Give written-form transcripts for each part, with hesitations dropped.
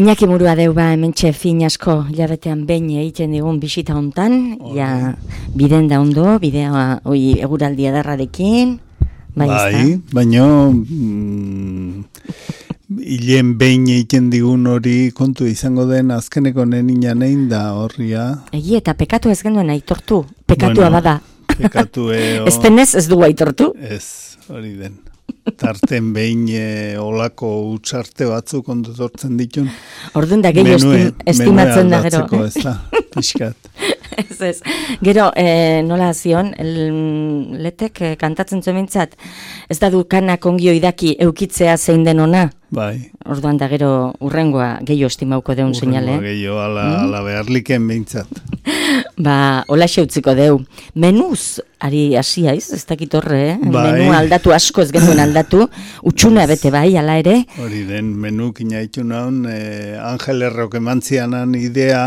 Iñaki Murua deuba hementxe fin asko hilabetean behin egiten digun bisita hontan, ja biden da ondo, bidea eguraldi ederrarekin, bai, baina hilen behin egiten digun hori kontu izango den azkeneko nenian egin da horria. Egi eta pekatu ez genuen aitortu, pekatua bada. Pekatue... Ez denez ez dugu aitortu? Ez, hori den. Tarten behin olako utxarte batzuk ondotortzen ditun. Orduan da gehiago estimatzen da gero. Menue aldatzeko ez da, pixkat. Ez. Gero, nola zion, letek kantatzen zuementzat, ez da du kanak ongio idaki eukitzea zein den ona? Bai. Orduan da gero urrengoa gehiago estimauko deun seinale. Urrengoa gehiago, ala beharliken behintzat. Ba, hola xeutziko deu. Menuz, ari hasiaiz, ez dakit horre, bai. Menua aldatu asko ez genuen aldatu, utxuna bete bai, ala ere. Hori den, menuk inaitu naun, Angel Errok emantzianan idea,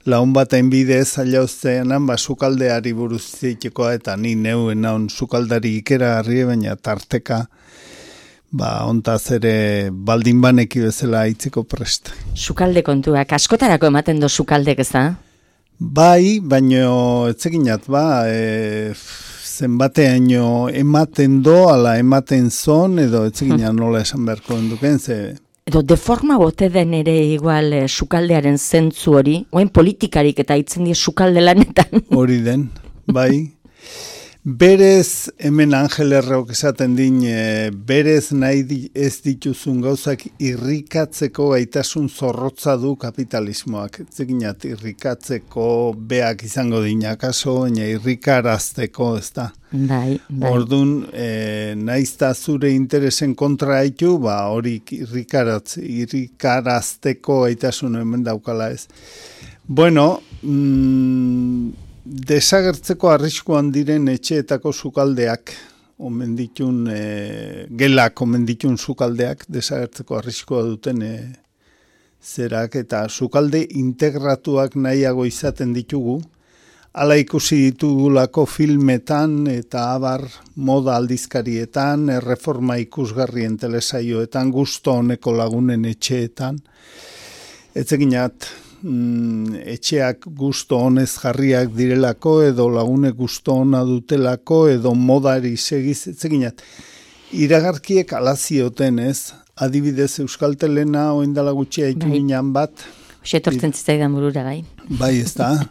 laun bat bidez alauzteanan, sukaldeari buruz zeitekoa, eta ni neuen naun sukaldari ikera harri, baina tarteka, ontaz ere baldin baneki bezala aitzeko prest. Sukalde kontuak, askotarako ematen do sukaldek ez da? Bai, baino etzekinat, zenbateaino ematen do, ala ematen zon, edo etzekinan nola esan beharko enduken, ze... Edo deforma bote den ere igual sukaldearen zentzu hori, oen politikarik eta itzen die sukalde lanetan. Hori den, bai. Berez, hemen Angel Errok esaten din, berez nahi ez dituzun gauzak irrikatzeko gaitasun zorrotza du kapitalismoak. Zeginat, irrikatzeko beak izango dinakaso, baina irrikarazteko, ez da. Bai. Orduan, naizta zure interesen kontra haitu, hori irrikarazteko gaitasun hemen daukala ez. Bueno, desagertzeko arriskuan diren etxeetako sukaldeak, gelak omen ditun sukaldeak, desagertzeko arriskua duten zerak, eta sukalde integratuak nahiago izaten ditugu, hala ikusi ditugulako filmetan eta abar moda aldizkarietan, erreforma ikusgarrien telesaioetan, gusto honeko lagunen etxeetan, etzeginat, etxeak gusto honez jarriak direlako, edo lagunek gusto hona dutelako, edo modari segiz, etzeginat. Iragarkiek alazioten ez, adibidez Euskaltelena oindala gutxi haitu ginen bat. Osetortzen zitzaidan burura, bai. Bai, ez da.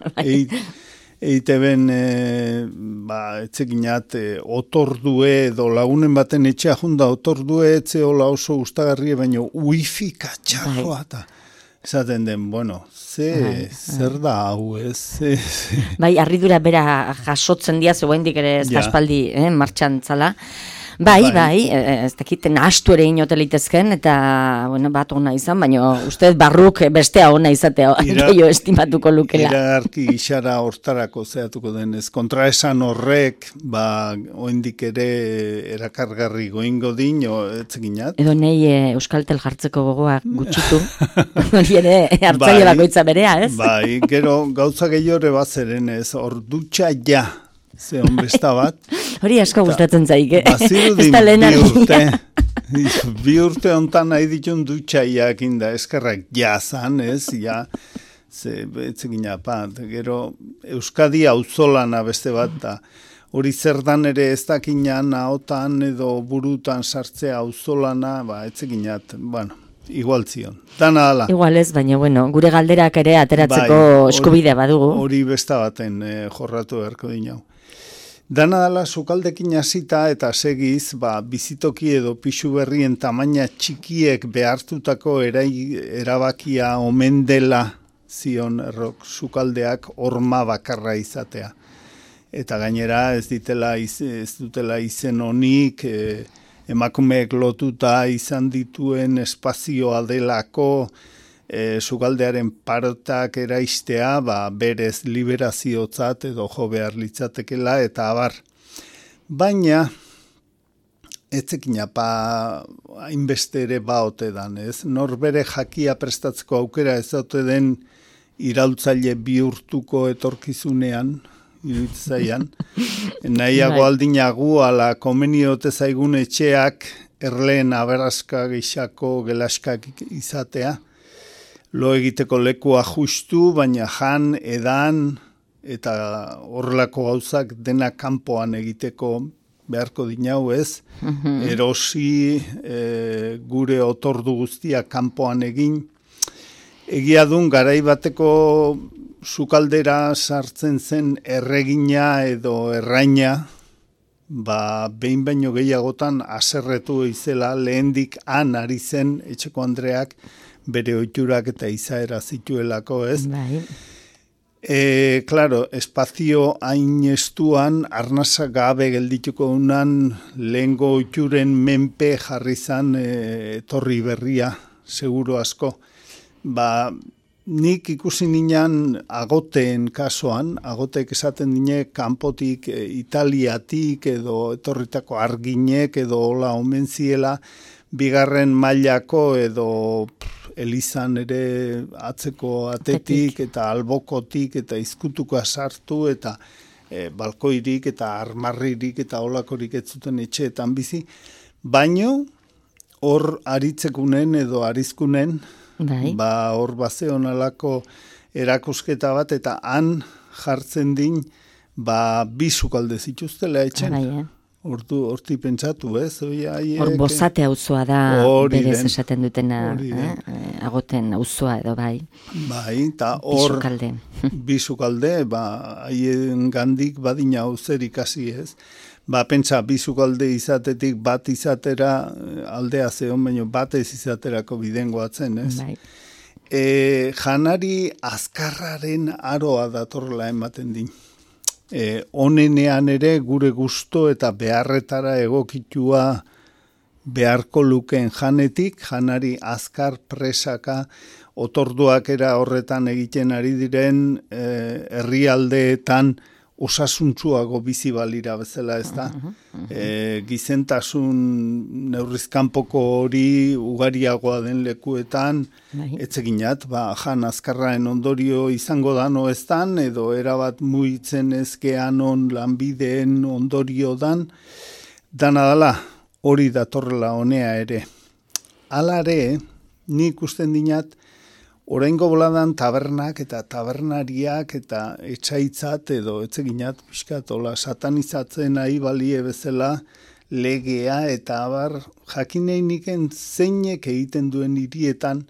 Eiteben, etzeginat, otordue, edo lagunen baten etxea junda otordue, etze hola oso gustagarrie, baina wifi katxarroa eta... Esaten den, zer da hau ez? Bai, harridura bera jasotzen dia, zeuendik ere ez da espaldi martxan zala. Bai, ez dakiten astu ere inotelitezken, eta bat ona izan, baina uste barruk bestea ona izatea, gehiago estimatuko lukela. Iragarki gixara hortarako zeatuko denez. Kontraesan horrek, oendik ere erakargarri goingo din, etzeginat. Edo nahi Euskaltel jartzeko gogoa gutxitu, hori ere hartzaile bakoitza berea, ez? Bai, gero gauza gehiore bazeren ez, hor dutxa ja. Ze honbesta bat. Hori asko gustatzen zaik, Bazirudin bi urte ontan nahi ditun dutxaiak inda eskerrak jazan, ez, etzegina pat. Gero Euskadi auzolana beste bat da. Hori zerdan ere ez dakinan ahotan edo burutan sartzea auzolana, etzeginat, igual zion. Dana ala. Igual ez, baina gure galderak ere ateratzeko eskubidea badugu. Hori besta baten jorratu beharko dinau. Dana dala sukaldekin hasita eta segiz, bizitoki edo pixu berrien tamaina txikiek behartutako erabakia omen dela zion Errok sukaldeak horma bakarra izatea. Eta gainera ez dutela izen honik, emakumeek lotuta izan dituen espazioa delako, sukaldearen parotak eraistea, berez liberaziotzat edo jo behar litzatekela, eta abar. Baina, etzekina, hainbeste ere baote dan, ez? Norbere jakia prestatzeko aukera ez daute den iraultzaile bihurtuko etorkizunean, iruditzaian. Nahiago aldinagu, ala komeniote zaigun etxeak erleen aberazka gixako gelaskak izatea. lo egiteko lekua justu, baina jan, edan, eta horrelako gauzak dena kanpoan egiteko beharko dinau ez, erosi gure otordu guztia kanpoan egin. Egia dun, garai bateko sukaldera sartzen zen erregina edo erraina, behin baino gehiagotan aserretu izela lehendik ari zen etxeko Andreak bere ohiturak eta izaera zituelako ez. Bai. Claro, espazio hain estuan, arnasa gabe geldituko unan, lehengo oituren menpe jarri zan etorri berria, seguro asko. Nik ikusi ninan agoteen kasuan, agoteek esaten dine kanpotik, Italiatik edo etorritako arginek edo hola omen ziela, bigarren mailako edo elizan ere atzeko atetik eta albokotik eta izkutuko sartu eta balkoirik eta armarririk eta holakorik ez zuten etxeetan bizi. Baino hor aritzekunen edo arizkunen, hor bazeon alako erakusketa bat eta han jartzen din bi sukalde zituztela etxen. Horti pentsatu, ez? Hor bozate auzoa da berez esaten dutena, agoten auzoa edo bai. Bai, eta hor bi sukalde, haien gandik badina auzerik hasi ez. Pentsa, bi sukalde izatetik bat izatera aldea zeon, baino batez izaterako bidengoatzen, ez? Bai. Janari azkarraren aroa datorla ematen din. Honenean ere gure gusto eta beharretara egokitua beharko luken janetik, janari azkar presaka otorduak era horretan egiten ari diren herrialdeetan osasuntsuago bizi balira bezala, ez da? Gizentasun neurrizkanpoko hori ugariagoa den lekuetan, etzeginat, jan azkarraen ondorio izango dan oeztan, edo erabat muitzen ezkean on lanbideen ondorio dan, dana dala hori datorrela honea ere. Alare, nik usten dinat, oraingo boladan tabernak eta tabernariak eta etxaitzat edo etzeginat pixkatola satanizatzen nahi balie bezala legea eta abar jakinei zeinek egiten duen hirietan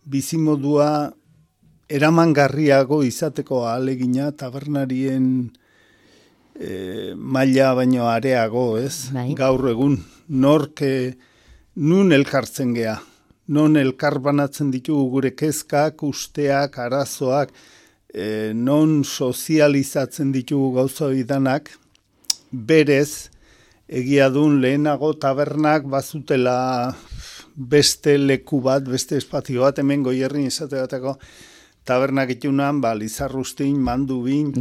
bizimodua eramangarriago izateko ahalegina tabernarien maila baino areago, ez? Bai. Gaur egun nun elkartzen gea. Non elkar banatzen ditugu gure kezkak, usteak, arazoak, non sozializatzen ditugu gauza idanak, berez, egia dun lehenago tabernak bazutela beste leku bat, beste espazio bat, hemen Goierrin esate bateko tabernak itunan, Lizarrustin, Mandubin,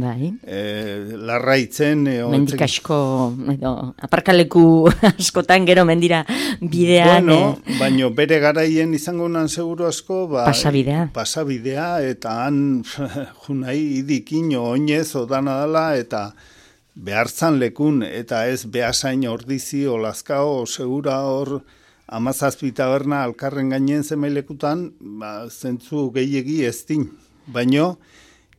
Larraitzen. Mendik asko, aparkaleku askotan gero mendira bidean. Baino bere garaien izango nan seguru asko, pasabidea, eta han junai idikin oinez odana dela, eta behartzan lekun, eta ez behasain ordizi, olazkao, segura hor, 17 taberna alkarren gainen zemailekutan, zentzu gehiegi ez din. Baino,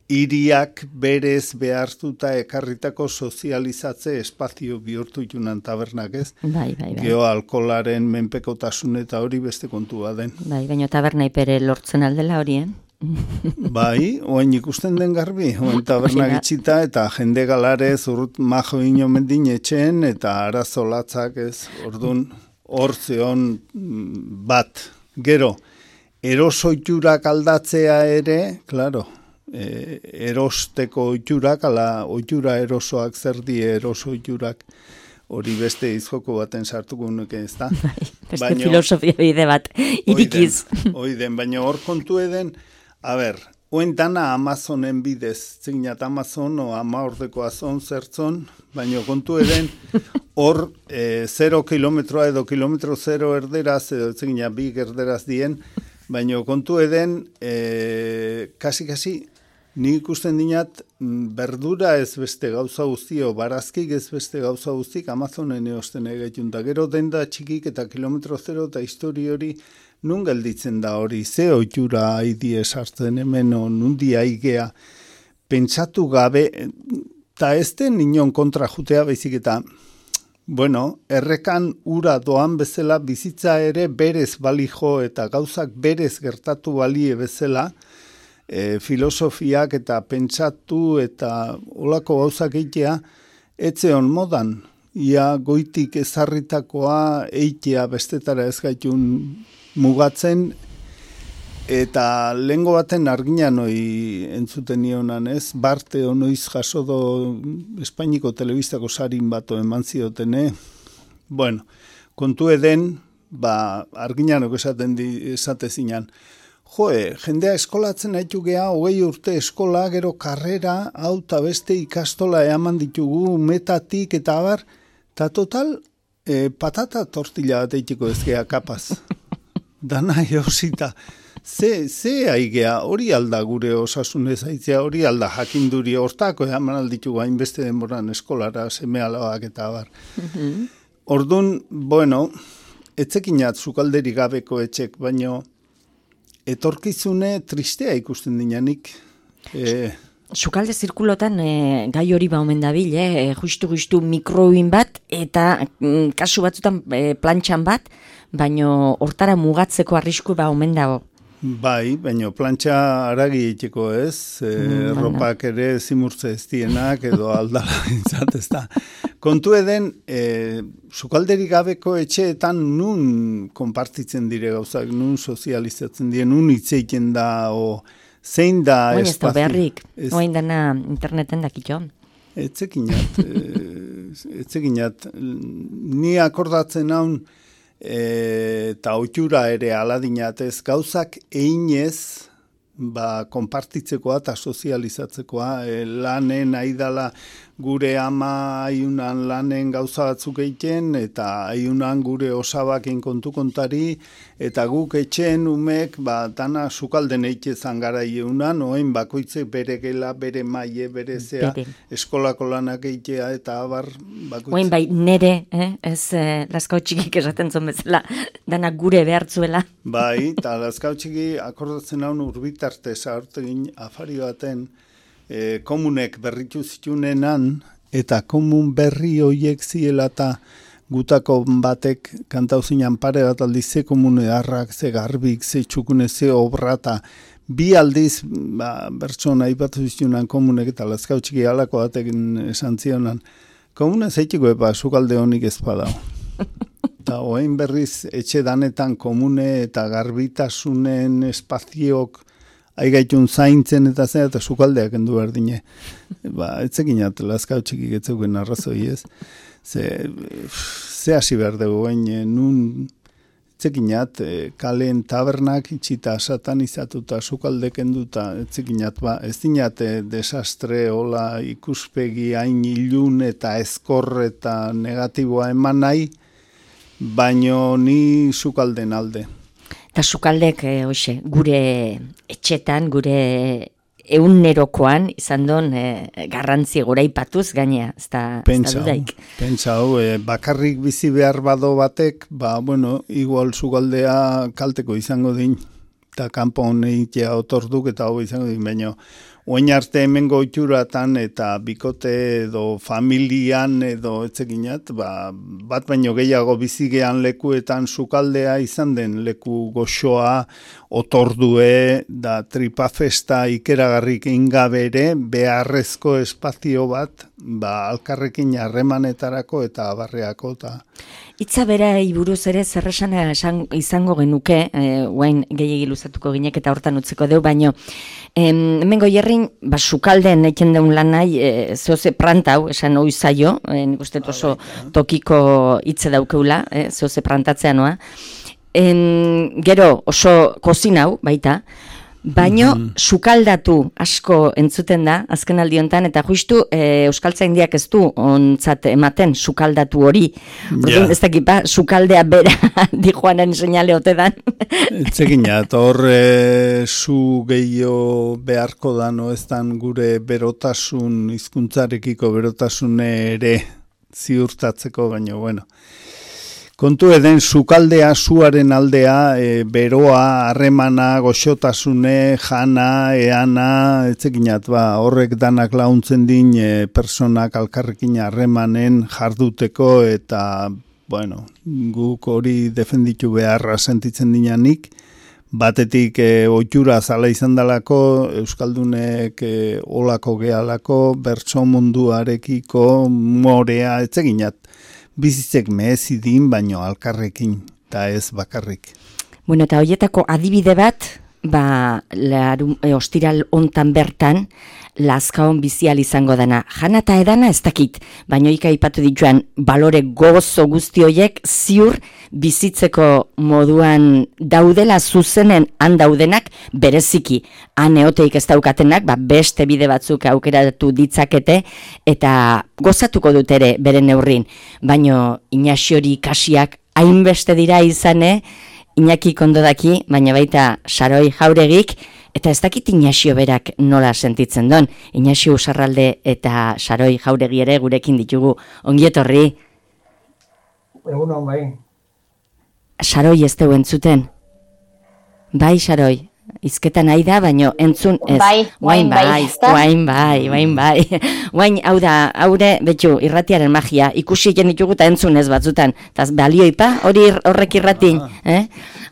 hiriak berez behartuta ekarritako sozializatze espazio bihurtu itunan tabernak, ez? Bai. Geo alkolaren menpekotasun eta hori beste kontua den. Bai, baino taberna ipere lortzen aldela horien. Bai, oain ikusten den garbi, oain tabernak itxita eta jende galare zurrut majo inomen din etxen eta arazolatzak, ez? Ordun hor zeon bat. Gero, erosoiturak aldatzea ere, klaro, erosteko oiturak, ala oitura erosoak zer die erosoiturak, hori beste izjoko baten sartuko nuke, ez da? Beste filosofia bide bat, irikiz. Oiden, baina hor kontu eden, oen dana Amazonen bidez, zignat Amazon o Amaordeko azon zertzon, baina kontu eden, hor 0 kilometroa edo kilometro 0 erderaz, edo zignat 2 erderaz dien, baina kontu eden, kasi, nik ikusten dinat, berdura ez beste gauza guztio, barazkik ez beste gauza guztik, Amazonen eosten egaitun, da gero denda txikik eta kilometro 0 eta histori hori nun gelditzen da hori, ze oitura haidi esartzen hemen, nundi aigea, pentsatu gabe, eta ez den inon kontra jutea baizik eta, bueno, errekan ura doan bezala bizitza ere berez balijo eta gauzak berez gertatu balie bezala, filosofiak eta pentsatu eta olako gauzak eitea, etzeon modan, ia goitik ezarritakoa eitea bestetara ez gaitun mugatzen, eta lehengo baten arginan hoi entzuten nionan ez, Barte onoiz jasodo Espainiko telebistako sarin bato eman ziotene, bueno, kontu eden, arginanok esate zinan, jendea eskolatzen haitu geha, 20 urte eskola, gero karrera, hau eta beste ikastola eaman ditugu, metatik eta abar, eta total, patata tortilla bat eitiko ezkea kapaz. Dana eosita. Ze aigea, hori alda gure osasunez aitzea, hori alda jakinduri hortako eaman alditugu hainbeste denboran eskolara, seme alabak eta abar. Orduan, bueno, etzekinat zukalderi gabeko etxek, baino, etorkizune tristea ikusten dinanik. Sukalde zirkulotan gai hori omen dabil, justu mikroin bat, eta kasu batzutan plantxan bat, baino hortara mugatzeko arrisku omen dago. Bai, baino plantxa aragi egiteko ez, ropak ere zimurtze ez dienak, edo aldala bintzat ez da. Kontu eden, sukalderi gabeko etxeetan nun konpartitzen dire gauzak, nun sozializatzen dire, nun hitzeiten da, zein da espazio. Oin ez da beharrik, oin dana interneten dakitxo. Etzekinat, ni akordatzen haun, eta oitura ere aladinatez, gauzak einez, konpartitzekoa eta sozializatzekoa, lanen aidala gure ama aiunan lanen gauza batzuk egiten, eta aiunan gure osabaken kontu kontari, eta guk etxeen umek, dana sukalden eite zangara ieunan, oen bakoitze bere gela, bere maie, bere zea, eskolako lanak eitea, eta abar bakoitze. Oen bai, nere, ez laskau txikik esaten zon bezala, dana gure behartzuela. Bai, eta laskau txiki akordatzen haun urbitarte zahartegin afari baten, komunek berritu zitunenan, eta komun berri hoiek ziela eta gutako batek kantauzinan pare bat aldiz ze komune harrak, ze garbik, ze txukune, ze obra, eta bi aldiz bertsona aipatu zitunan komunek eta laskau txiki halako batek esan zionan, komune zeitiko sukalde honik ez badao. Eta oain berriz etxe danetan komune eta garbitasunen espaziok aigaitun zaintzen eta zen, eta sukaldeak endu berdine. Etzekinat, laskau txikik etzeuken arrazoi ez. Ze hasi behar dugu, nun etzekinat, kalen tabernak itxita satanizatuta sukaldek enduta, etzekinat, ez dinat desastre, hola ikuspegi hain ilun eta ezkor eta negatiboa eman nahi, baino ni sukalden alde. Eta sukaldek, gure etxetan, gure egunerokoan, izan don garrantzi gora ipatuz gainea, ez da dudaik. Pentsa, bakarrik bizi behar bado batek, igual sukaldea kalteko izango din, eta kanpo honeitea otorduk eta hau izango din, baina oin arte hemen goituratan eta bikote edo familian edo etzekinat, bat baino gehiago bizigean lekuetan sukaldea izan den leku goxoa, otordue, da tripafesta ikeragarrik ingabere, beharrezko espazio bat, alkarrekin harremanetarako eta abarreako. Itza bera iburuz ere zerresan izango genuke, guain gehiagi luzatuko ginek eta hortan utziko deu, baino, hemengo jerrin, sukalden eken deun lan nahi, zehoze prantau, esan oizaio, nik uste oso tokiko hitze daukeula, zehoze prantatzea noa, gero oso kozinau, baita, baino sukaldatu asko entzuten da, azken aldiontan, eta justu Euskaltzaindiak ez du ontzat ematen sukaldatu hori. Orduan ez dakipa, sukaldea bera dijoanen seinale ote dan. Etzekinat, hor zu gehiago beharko da, no ez dan gure berotasun, hizkuntzarekiko berotasune ere ziurtatzeko, baino, bueno. Kontu eden, sukaldea, zuaren aldea, beroa, harremana, goxotasune, jana, eana, etzekinat, horrek danak launtzen din personak alkarrekin harremanen jarduteko eta, bueno, guk hori defenditu beharra sentitzen dinanik, batetik ohitura zala izan dalako, Euskaldunek olako gehalako, bertso munduarekiko, morea, etzekinat. Bizitzek mehezidin, baino alkarrekin, eta ez bakarrik. Bueno, eta horietako adibide bat, ostiral hontan bertan, Lazkaon bizial izango dana. Jana eta edana ez dakit, baino ikaipatu dituan balore gozo guzti horiek ziur bizitzeko moduan daudela zuzenen han daudenak bereziki. Han eoteik ez daukatenak, beste bide batzuk aukeratu ditzakete eta gozatuko dut ere beren neurrin. Baino Inaxiori ikasiak hainbeste dira izane, Iñaki kondodaki, baina baita Saroi Jauregik, eta ez dakit Inaxio berak nola sentitzen don. Inaxio Usarralde eta Saroi Jauregi ere gurekin ditugu. Ongi etorri. Egunon, bai. Saroi ez deu entzuten. Bai, Saroi. Izketan nahi da, baino entzun ez. Bai. Guain, hau da, haure, betxu, irratiaren magia, ikusi egin ditugu eta entzun ez batzutan. Taz, balioipa, horrek irratin,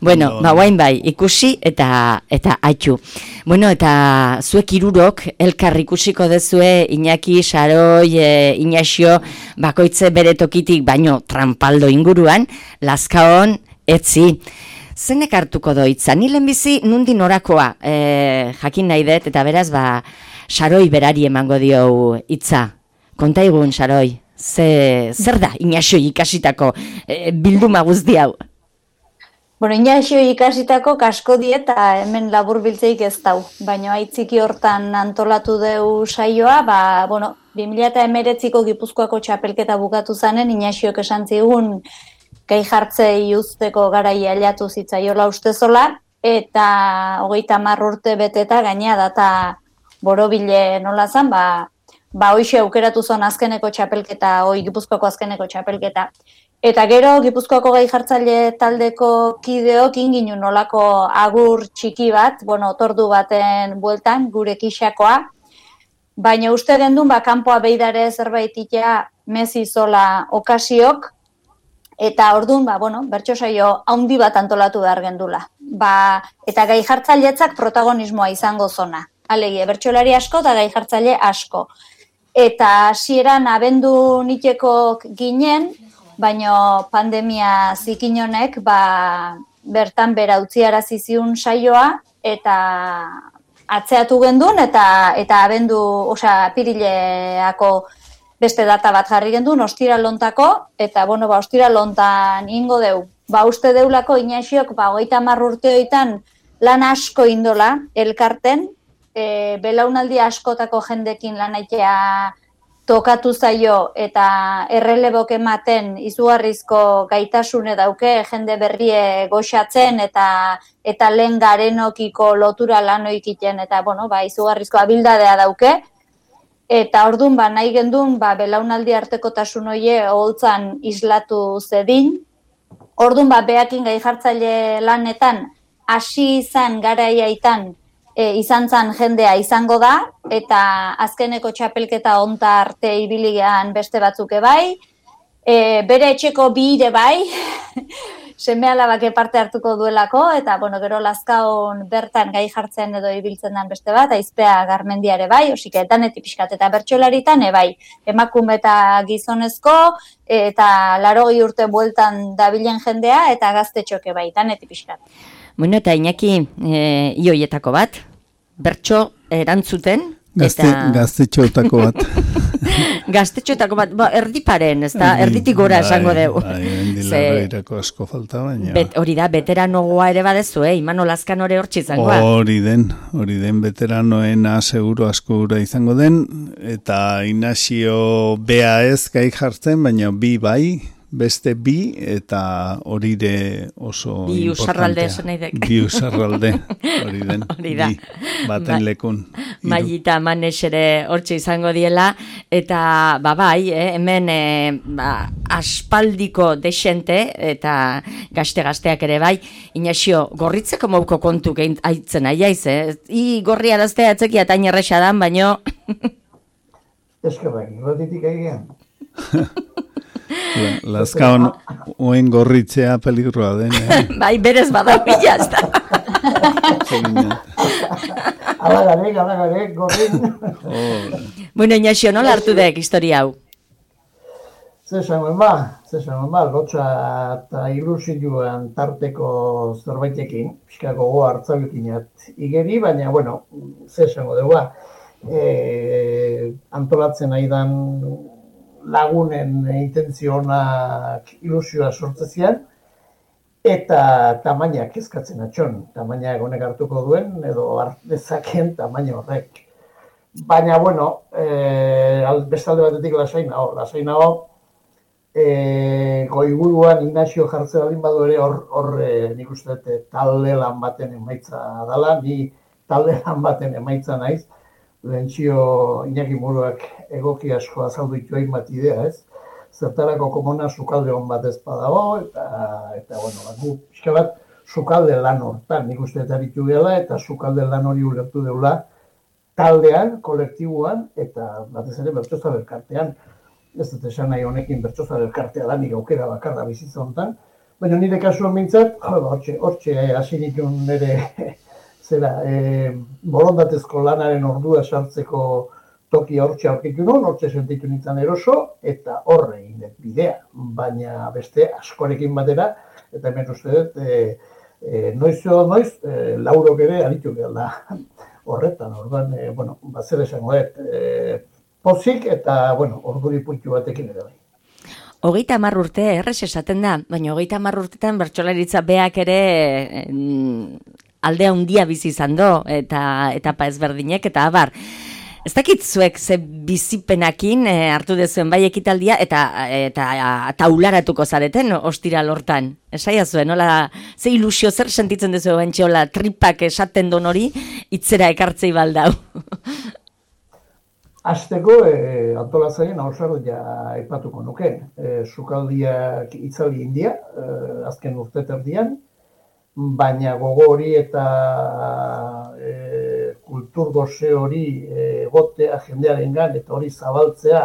Bueno, guain bai, ikusi eta haitxu. Bueno, eta zuek hirurok elkar ikusiko dezue Iñaki, Saroi, Inaxio, bakoitze bere tokitik, baino trampaldo inguruan, Lazkaon, etzi. Zenek hartuko doitza? Ni lehenbizi nundi norakoa jakin nahi dut, eta beraz, Saroi berari emango dio hitza. Konta egun, Saroi, zer da Inaxio ikasitako bilduma guzti hau? Bueno, Inaxio ikasitako kasko dieta hemen labur biltzeik ez dau. Baina aitziki hortan antolatu deu saioa, 2019ko Gipuzkoako txapelketa bukatu zanen, Inaxiok esan zigun gai jartzei uzteko garaia ailatu zitzaiola ustezola, eta 30 urte beteta gainea data borobile nola zan, hoxe aukeratu zon azkeneko txapelketa, Gipuzkoako azkeneko txapelketa. Eta gero Gipuzkoako gai jartzaile taldeko kideok inginu nolako agur txiki bat, otordu baten bueltan, gure kixakoa, baina uste gendun, kanpoa beidare zerbait itea mezizola okasiok, eta orduan, bertso saio haundi bat antolatu behar gendula. Eta gai jartzailetzak protagonismoa izango zona. Alegia, bertsolari asko eta gai jartzaile asko. Eta hasieran abendu niteko ginen, baina pandemia zikin honek, bertan bera utziarazi ziun saioa, eta atzeatu gendun, eta abendu, apirileako beste data bat jarri gendun, ostiralontako, eta, ostiralontan ingo deu. Uste deulako Inaxiok, 30 urteoitan lan asko indola, elkarten, belaunaldi askotako jendekin lanaitea tokatu zaio, eta errelebok ematen izugarrizko gaitasune dauke, jende berrie goxatzen, eta lehen garenokiko lotura lanoikiten, eta, izugarrizko abildadea dauke. Eta orduan, nahi gendun, belaunaldi artekotasun hoie oholtzan islatu zedin. Orduan, behakin gai jartzaile lanetan, hasi izan garaiaitan izan zan jendea izango da, eta azkeneko txapelketa onta arte ibiligean beste batzuke bai, bere etxeko bire bai, seme-alabak parte hartuko duelako, eta gero Lazkaon bertan gai jartzen edo ibiltzen den beste bat, Aizpea Garmendiare bai, osike danetik pixkat, eta bertsolaritan bai, emakume eta gizonezko, eta 80 urte bueltan dabilen jendea, eta gaztetxoke bai, danetik pixkat. Bueno, eta Iñaki, ioietako bat, bertso erantzuten, Gaztetxoetako bat. Gaztetxoetako bat, erdiparen, ez da, erditik gora esango dugu. Dilarreirako asko falta baina. Hori da, veteranogoa ere badezu, Imano Lazkan hori hortxe izangoa. Hori den veteranoena seguro asko gura izango den, eta Inaxio bea ez gai jartzen, baina bi bai, beste bi, eta hori de oso bi usarralde esan nahi dek. Bi usarralde, hori den, hori da. bi, baten lekun. Mailita Manes ere hortxe izango diela, eta bai, hemen aspaldiko desente, eta gazte-gazteak ere bai, Inaxio, gorritzeko mauko kontu aitzen aiaiz, I gorri araztea atzeki atain erresa dan, baino... Eskerrak, irratitik egian. Lazkaon oen gorritzea peligroa den. Bai, berez bada bila, ez da. Alagarek, gorrin. Bueno, Inaxio, nola hartu dek historia hau? Zesan ba, gotxa eta ilusioan tarteko zerbaitekin, pixka gogo hartzaukinat igeri, baina, bueno, zesango dugu, antolatzen aidan lagunen intentzionak ilusioa sortzezian, eta tamainak kezkatzen atxon, tamainak honek hartuko duen, edo hartdezaken tamaina horrek. Baina, bueno, bestalde batetik lasai nago, goiburuan Ignacio jartzea balin badu ere hor nik uste talde lan baten emaitza dela, ni talde lan baten emaitza naiz, Lentzio Iñaki Muruak egoki asko azaldu ditu hainbat idea, ez? Zertarako komuna sukalde hon bat ez badago, eta bueno, gu pixka bat sukalde lan hortan, nik uste eta bitu gela, eta sukalde lan hori ulertu deula taldean, kolektiboan, eta batez ere bertsoza elkartean. Ez dut esan nahi honekin bertsoza elkartea da, nik aukera bakarra bizitza honetan, baina nire kasuan mintzat, hortxe hasi nituen nire borondatezko lanaren ordua sartzeko toki hortxe aurkitu nuen, hortxe sentitu nintzen eroso, eta horre egin bidea, baina beste askorekin batera, eta hemen uste dut, noiz, laurok ere aritu behar da horretan, orduan, bueno, zer esango dut, pozik eta, bueno, orduri puntu batekin ere bai. 30 urte, errez esaten da, baina 30 urtetan bertsolaritza beak ere alde handia bizi izan do, eta etapa ezberdinek, eta abar. Ez dakit zuek ze bizipenakin hartu dezuen bai ekitaldia, eta taularatuko zareten ostira lortan. Esaia zuen, nola, ze ilusio zer sentitzen dezu bentsi, hola, tripak esaten don hori, itzera ekartzei baldau. Azteko, antolatzaien hausardia aipatuko nuke. Sukaldiak itzali india, azken urte terdian, baina gogo hori eta kultur goze hori egotea jendearen gan, eta hori zabaltzea,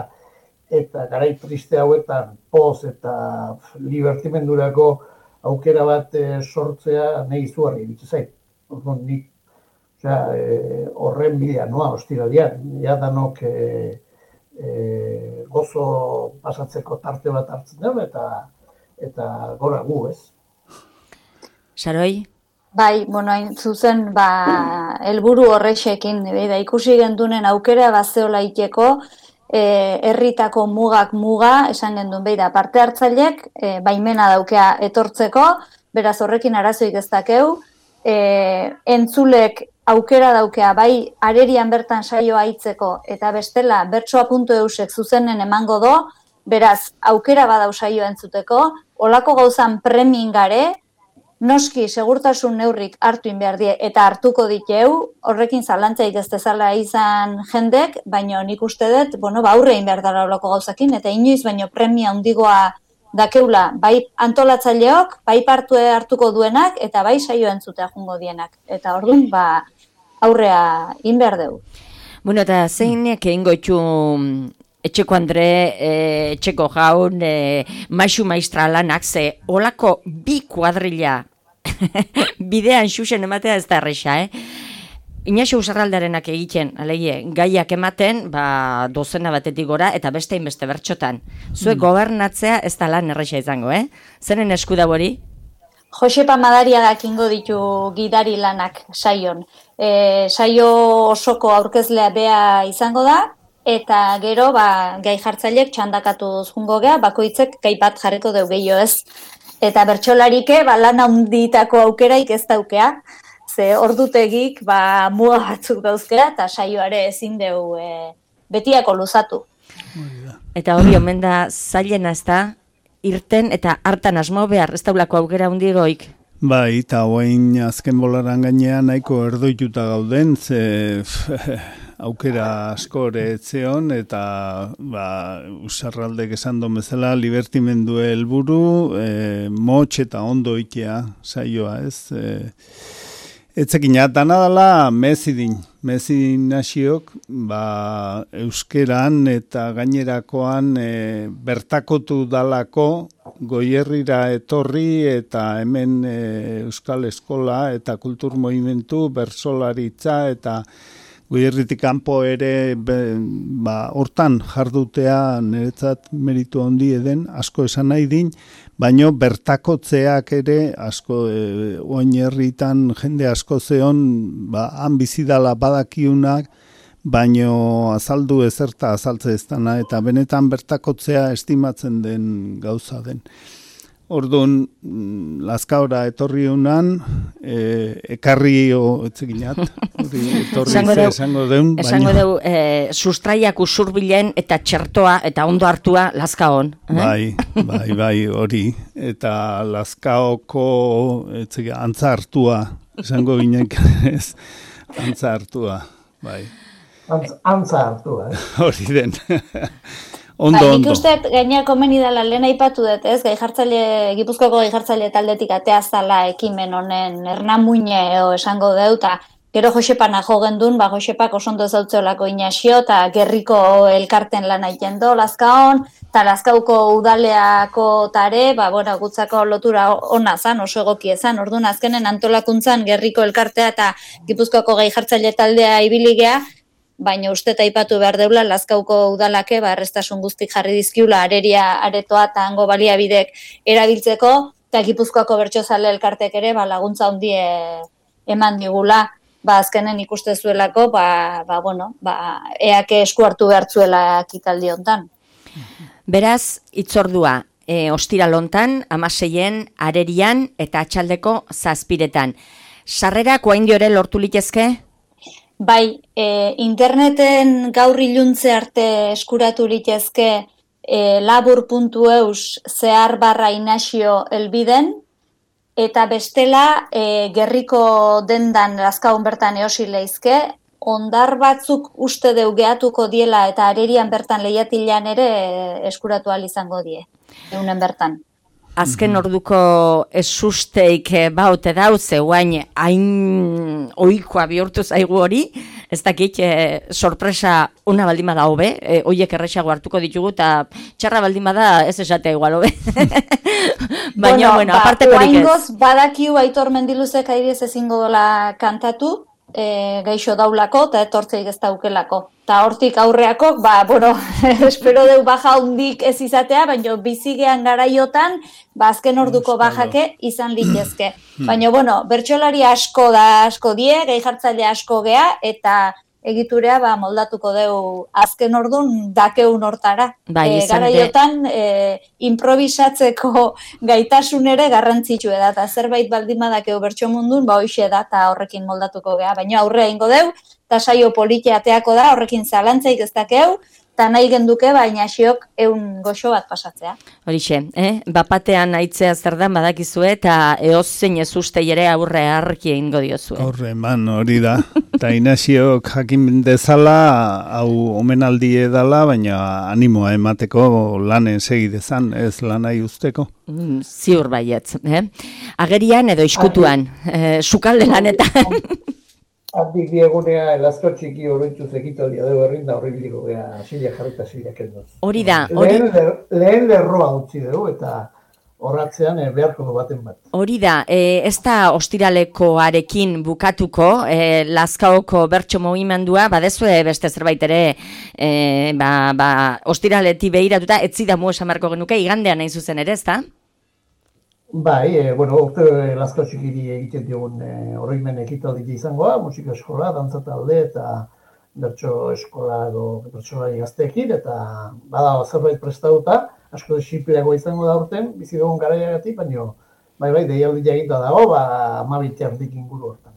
eta garai triste hauetan poz eta libertimendurako aukera bat sortzea nahi izugarri bitzu zait. Nik horren bidea noa ostiralian, danok gozo pasatzeko tarte bat hartzen dugu eta gora gu, ez? Saroi? Bai, bueno, hain zuzen, helburu horrexekin, da ikusi gendunen aukera bazeola iteko, herritako mugak muga, esan gendun, da parte hartzaileek, baimena daukea etortzeko, beraz horrekin arazoik ez dakeu, entzulek aukera daukea, bai arerian bertan saioa aitzeko, eta bestela bertsoa.eusek zuzenen emango do, beraz aukera badau saioa entzuteko, olako gauzan premin gare, noski segurtasun neurrik hartu behar die eta hartuko diteu, horrekin zalantzaik ez dezala izan jendek, baina nik uste dut, aurrein behar dara olako gauzakin, eta inoiz baino premia handigoa dakeula, bai antolatzaileok, bai parte hartuko duenak, eta bai saioa entzutea jungo dienak. Eta orduan, aurrea inber deu. Bueno, eta zeinek egingo itxu etxeko Andre, etxeko jaun, maisu maistra lanak, ze olako bi kuadrilla bidean xuxen ematea ez da erresa, Inaxio Usarraldarenak egiten, alegie, gaiak ematen, dozena batetik gora, eta beste inbeste bertxotan. Zuek gobernatzea ez da lan erresa izango, Zeren esku da hori? Josepa Madariagak ingo ditu gidari lanak saion. Saio osoko aurkezlea bea izango da, eta gero, gai jartzaileek txandakatu jungo gea, bakoitzek gai bat jarriko deu gehiago ez. Eta bertsolarike, lan handitako aukeraik ez daukea, ze ordutegik, muga batzuk dauzkera, eta saioare ezin deu betiako luzatu. Eta hori omen da zailena ez da, irten eta hartan asmo behar, ez daulako aukera hundigoik. Bai, eta hoain azken bolaran gainean nahiko erdoituta gauden, ze aukera asko ere etzeon, eta usarraldek esan don bezala, libertimendu helburu, motx eta ondo ikea saioa, ez? Etzekina, dana dela mezidin nasiok, euskeran eta gainerakoan bertakotu dalako Goierrira etorri eta hemen Euskal Eskola eta Kultur Movimentu, Bersolaritza eta Goierritik kanpo ere hortan jardutea niretzat meritu handi eden, asko esan nahi din, baino bertakotzeak ere asko oinherritan jende asko zeon, han bizidala badakiunak, baino azaldu ezerta azaltze ez dana, eta benetan bertakotzea estimatzen den gauza den. Orduan, Lazkaora etorri unan, ekarri etzeginat, etorri esango deun. Esango deu, sustraiak usurbilen eta txertoa eta ondo hartua Lazkaon. Bai, hori. Eta Lazkaoko antza hartua, esango ginen ez, antza hartua, bai. Antza hartua, Hori den. Ondo. Nik uste gaina komeni dela lehen aipatu dut, ez? Gipuzkoako gai-jartzaile taldetik atea zala ekimen honen ernamuine esango deu, eta gero Josepan jo gendun, Josepak osondo ezautzeolako Inaxio, eta gerriko elkarten lan egiten do, Lazkaon, eta Lazkauko udaleako tare, gutzako lotura ona zan, oso egoki ezan, orduan azkenen antolakuntzan gerriko elkartea eta Gipuzkoako gai-jartzaile taldea ibiligea, baina uste eta aipatu behar deula Lazkauko udalake errestasun guztik jarri dizkiula areria aretoa eta hango baliabidek erabiltzeko, eta Gipuzkoako bertsozale elkartek ere laguntza handie eman digula, azkenen ikuste zuelako, eake esku hartu behartzuela ekitaldi hontan. Beraz, itzordua, ostiral hontan, 16en, arerian eta atxaldeko 7:00. Sarrerak oraindik ere lortu litezke? Bai, interneten gaur iluntze arte eskuratu litezke labur.eus /Inaxio elbiden, eta bestela gerriko dendan Lazkaon bertan eosi leizke, ondar batzuk uste deu gehatuko diela eta arerian bertan lehiatilean ere eskuratu ahal izango die, eunen bertan. Azken orduko esusteik baute dauze, guain hain oikoa bihurtu zaigu hori, ez dakit sorpresa ona baldin bada hobe, hoiek erresago hartuko ditugu, eta txarra baldin bada ez esatea igual hobe. Baina, aparte perik ez. Oaingoz badakiu Aitor Mendiluzek airiez ezingo dola kantatu, gaixo daulako eta etortzeik ez daukelako. Eta hortik aurreako, espero deu baja hundik ez izatea, baina bizigean garaiotan, azken orduko bajake izan litezke. Baina, bertsolari asko die, gai-jartzaile asko gea, eta egiturea moldatuko deu azken ordun dakeun hortara. Garaiotan improvisatzeko gaitasun ere garrantzitsu da, eta zerbait baldin badakeu bertso mundun, hoxe da, eta horrekin moldatuko gea. Baina aurrea ingo deu, eta saio politia ateako da, horrekin zalantzaik ez dakeu, eta nahi genduke, baina xiok eun goxo bat pasatzea. Horixe, bapatean aitzea zer dan badakizue, eta eozein ez ustei ere aurre harki egingo diozue. Horre, hori da. Eta Inaxiok jakin dezala, hau omenaldi edala, baina animoa emateko lanen segidezan, ez lanai usteko. Ziur baietz. Agerian edo iskutuan, sukalde lanetan. Handik diegunea Lazkao txiki oroituz ekitaldia dugu errinda horri biliko gea sila jarrita sila kendoz. Hori da. Lehen lerroa utzi dugu eta horratzean beharko du baten bat. Hori da, ez da ostiralekoarekin bukatuko, Lazkaoko bertso mugimendua, badezue beste zerbait ere, ostiraleti behiratuta, etzidamu esan marko genuke, igandean nahi zuzen ere, ez da? Bai, urte Lazkao txikiri egiten diogun oroimen ekitaldi izangoa, musika eskola, dantza talde eta bertso eskola edo bertsolari gazteekin, eta bada zerbait prestatuta, asko desipliagoa izango da urten, bizi dugun garaiagatik, baina deialdi eginda dago, 12 inguru hortan.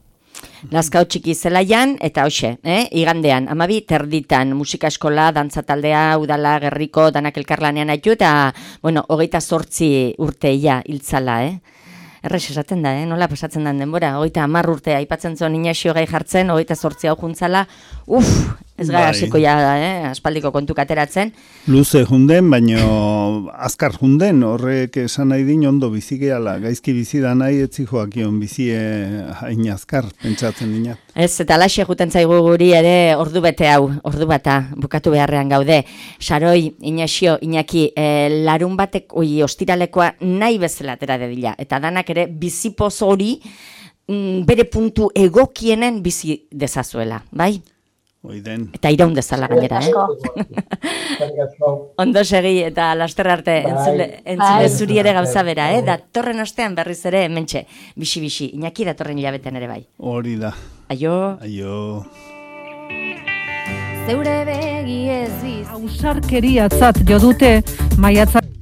Lazkao txiki zelaian, eta hoxe, igandean, 12:00 musika eskola, dantza taldea, udala, gerriko, danak elkarlanean haitu, eta, 28 urteia hiltzala, Errex esaten da, nola pasatzen den denbora, 30 urte aipatzen zuen Inaxio gai jartzen, 28 hau juntzala, ez gara hasiko aspaldiko kontuk ateratzen. Luze junden, baino azkar junden, horrek esan nahi din ondo bizigeala, gaizki bizida nahi etzi joakion bizie hain azkar, pentsatzen dina. Ez, eta alaxe juten zaigu guri ere ordu bete hau, ordu bata, bukatu beharrean gaude. Saroi, Inaxio, Iñaki, larun batek, ostiralekoa nahi bezala atera dedila, eta danak ere bizipoz hori bere puntu egokienen bizi dezazuela, bai? Oiden. Eta iraun dezala gainera, Ondo segi eta laster arte entzule zuri ere gauza bera, datorren ostean berriz ere hementxe, bixi, Iñaki datorren hilabetean ere bai. Hori da. Aio. Zeure begi ez biz. Ausarkeriatzat jo dute maiatzak